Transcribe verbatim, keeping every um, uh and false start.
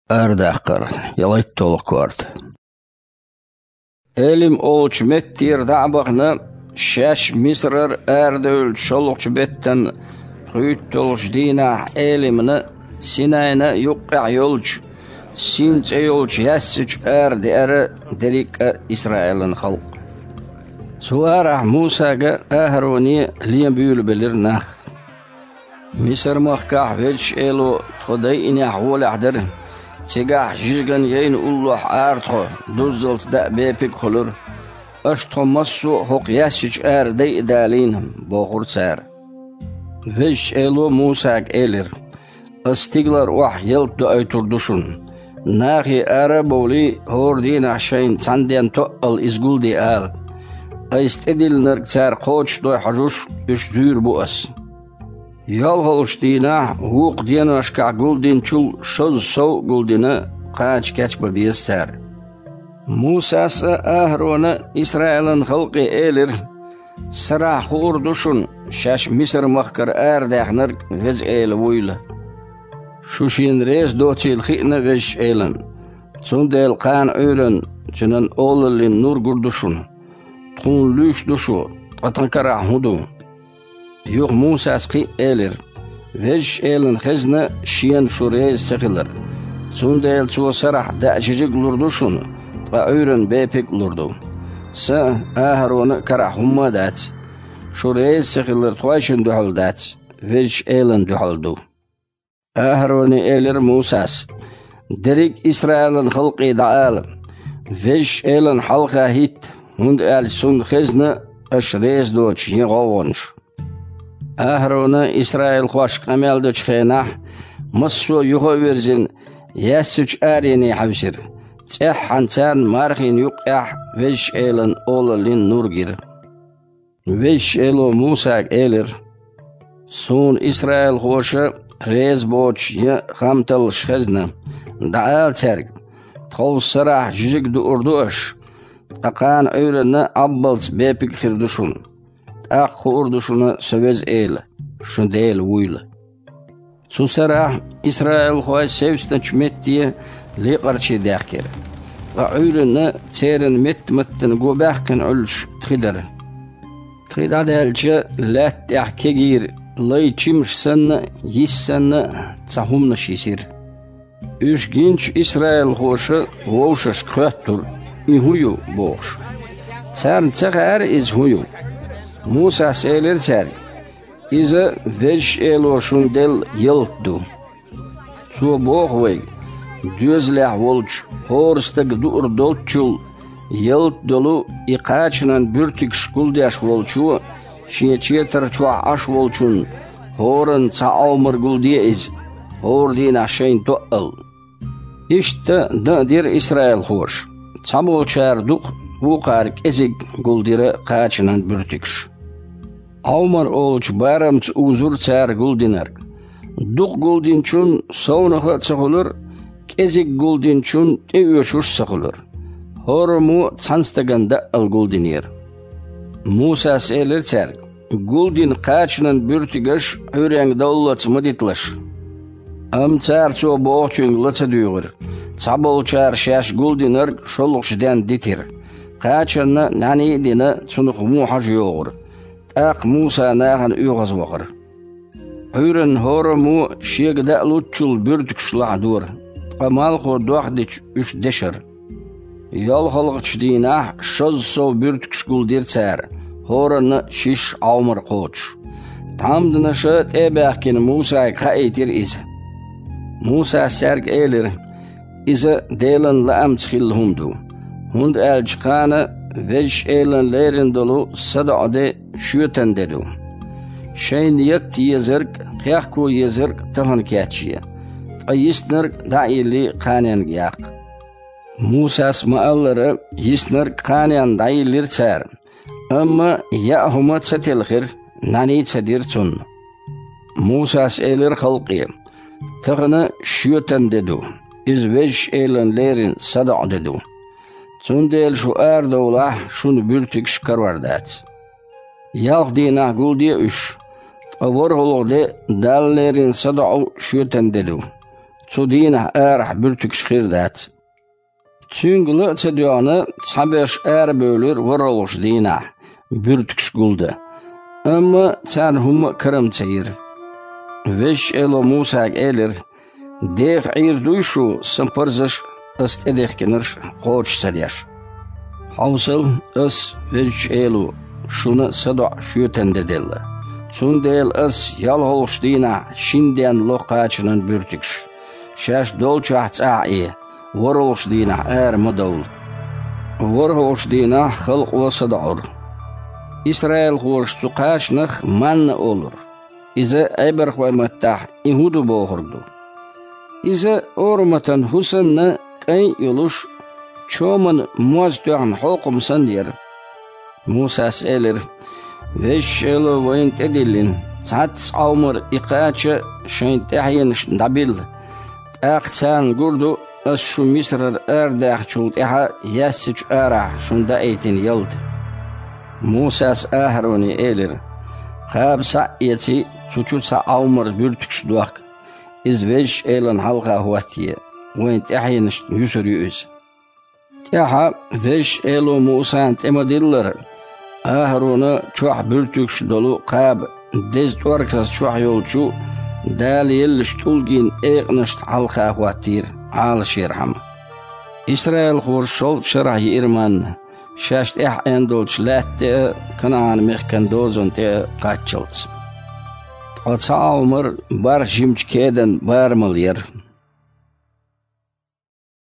Арадаккхар, ялхитталгӀа корта. Элим олучу меттера дӀа а бахана, шаьш Мисарара арадевллачу шолгӀачу беттан пхийтталгӀачу дийнахь Элимна, Синайна юккъехь йолчу Син цӀе йолчу яьссачу ара деара дерриг а Исраилан халкъ. Цу арахь Мусага а, АхӀароне а лен буьйлабелира нах. Мисар-махкахь Везачу Эло тхо дайинехь гӀолехь дара, цигахь жижиган яйна уллохь Ӏара тхо, дуззалц даа бепиг а хуьлура. Аша тхо массо а хӀокху яьссачу ара дайа далийна, бохура цара. Везачу Эло Мусага элира: «Ас стигалара охьа ялта доуьйтур ду шуна. Нахе ара а бовлий, хӀора дийнахь шайна цхьана денна тоъал иза гулде ала. Айса тӀедиллинарг цара кхочушдой хьожуш, уьш зуьйр бу ас». ЙолхалгӀачу дийнахь вукху деношкахь гулдинчул шозза сов а гулдина, кхача кечбан беза цара. Мусас а, АхӀарона а Исраилан халкъе элира: «Сарахь хуур ду шуна, шаьш Мисар-махкара арадаьхнарг Веза Эла вуйла. Шу шена реза доцийла хиъна Везачу Элана, цундела кхана Ӏуьйранна Цуьнан олаллин нур гур ду шуна. Тхуна луьйш ду шу, ткъа тхан карахь хӀун ду?» Юха Мусас кхин а элира: «Везачу Элана хезна шена шу реза ца хилар. Цундела Цо сарахь даа жижиг а лур ду шуна, ткъа Ӏуьйранна бепиг а лур ду. Сан а, АхӀарона а карахь хӀумма а дац. Шу реза ца хилар тхойшинна дуьхьал дац, Везачу Элана дуьхьал ду». АхӀароне элира Мусас: «Дерриг а Исраилан халкъе дӀаала: „Везачу Элана хьалха хӀитта, хӀунда аьлча Цунна хезна аша реза доцуш йина гӀовгӀанаш“». АхӀарона исраилхошка къамел дечу хенахь, массо а юха а вирзина, яьссачу арене хьаьвсира. ЦӀеххьана царна мархина юккъехь Везачу Элан олаллин нур гира. Везачу Эло Мусага элира: «Суна исраилхоша реза боцуш ян хам таллаш хезна. ДӀаала цаьрга: „Тховса сарахь жижиг дуур ду аша, ткъа кхана Ӏуьйранна Ӏаббалц бепиг а хир ду шуна. ТӀаккха хуур ду шуна Со Веза Эла, шун Дела вуйла“». Цу сарахь исраилхой севцначу метте лекъарчий даьхкира, ткъа Ӏуьйранна церан метта-маттана го баьккхина Ӏуьллуш тхи дара. Тхи дӀадаьлча, лаьтта тӀехь кегийра, лай чимаш санна а, йис санна а цхьа хӀуманаш йисира. Уьш гинчу исраилхоша вовшашка хоьттура: «И хӀун ю?» – бохуш. Царна ца хаьара иза хӀун ю. Мусас элира цаьрга: «Иза Везачу Эло шуна делла ялта ду. Цо боху вайга: „Доьзалехь волчу хӀора стага дуур долччул ялта долу и кхачанан буьртигаш гулдеш волчо шен четар чохь Ӏаш волчунна хӀоранна цхьа Ӏомар гулде иза, хӀора дийнахь шайна тоъал“». Иштта дан а дира исраилхоша: цхьаболчара дукха, вукхара кӀезиг гулдира кхачанан буьртигаш. Ӏомар олучу барамца узура цара гулдинарг. Дукха гулдинчунна совнаха а ца хуьлура, кӀезиг гулдинчунна тӀеоьшуш а ца хуьлура. ХӀораммо а цхьана стагана даъал гулдинера. Мусас элира цаьрга: «Гулдина кхачанан буьртигаш Ӏуьйренга довллалц ма диталаш». Амма цара Цо бохучуьнга ла ца дуьйгӀира. Цхьаболчара шаьш гулдинарг шолгӀачу денна дитира. Кхачанна нӀаьний а дина, цунах вон хьожа йогӀура. ТӀаккха Муса нахана оьгӀазвахара. Ӏуьйранна хӀораммо шега даа луччул буьртигаш лахьадора, ткъа малхо дохдича уьш дешара. ЙолхалгӀачу дийнахь шозза сов буьртигаш гулдира цара, хӀоранна шиш Ӏомар кхочуш. Тхьамданаша тӀе а баьхкина Мусага хаийтира иза. Мусас цаьрга элира: «Иза Делан лаамца хилла хӀума ду, хӀунда аьлча кхана Везачу Элан леррина долу садоӀу де шоьтан де ду. Шайна етта езарг а, кхехко езарг а тахана кечъе, ткъа йиснарг а дӀа а йиллий кханенга яккха». Мусас ма-аллара, йиснарг а, кханенна дӀайиллира цара, амма яа хӀума ца телхира, нӀаьний а ца дира цунна. Мусас элира халкъе: «Тахана шоьтан де ду, иза Везачу Элан леррина садоӀу де ду. Цундела шу арадовлахь, шуна буьртигаш карор дац. Ялх дийнахь гулде уьш, ткъа ворхӀалгӀа де Далла леррина садоӀу шоьтан де ду. цу дийнахь арахь буьртигаш хир дац. Цуьнга ла а ца доьгӀна, цхьаберш арабевлира ворхӀалгӀачу дийнахь, буьртигаш гулдан. Амма царна хӀумма а кара ма ца йира. Везачу Эло Мусага элира: «Деха Ӏийр дуй шу сан парзаш а, ас тӀедехкинарш а кхочуш ца деш? Хьовсал, ас, Везачу Эло, шуна садоӀу шоьтан де делла. Цундела ас ялхалгӀачу дийнахь шина денна ло кхачанан буьртигаш. Шаьш долчохь цӀахь а Ӏе, ворхӀалгӀачу дийнахь ара ма довла». ВорхӀалгӀачу дийнахь халкъо садоӀура. Исраилхоша цу кхачанах манна олура. Иза Ӏебархойн маттахь и хӀун ду бохург ду. Иза ораматан хӀу санна, кӀайн а йолуш, чоман моз тоьхна хьокхам санна яра. Мусас элира: «Везачу Эло вайна тӀедиллина, цхьацца Ӏомар и кхача шайн тӀаьхьенашна дӀабилла, тӀаккха царна гур ду, ас шу Мисарара арадаьхначул тӀаьхьа яьссачу арахь шуна даийтина ялта». Мусас АхӀароне элира: «Кхаба схьа а эций, цу чу цхьа Ӏомар буьртигаш дохка. Иза Везачу Элана хьалха хӀоттае, вайн тӀаьхьенашна юьсур ю иза». ТӀаьхьа Везачу Эло Мусана тӀе ма-диллара, АхӀарона чохь буьртигаш долу кхаба деза тӀорказ чохь йолчу Дала еллачу тӀулгийн экъанашна хьалха хӀоттийра Ӏалашъярхьама. Исраилхоша шовзткъа шарахь йиира манна, шаьш тӀаьхьа Ӏен долчу лаьтта тӀе а, КанаӀан-мехкан дозанна тӀе а кхаччалц. Ткъа цхьа Ӏомар барх жимачу кедан барамал яра.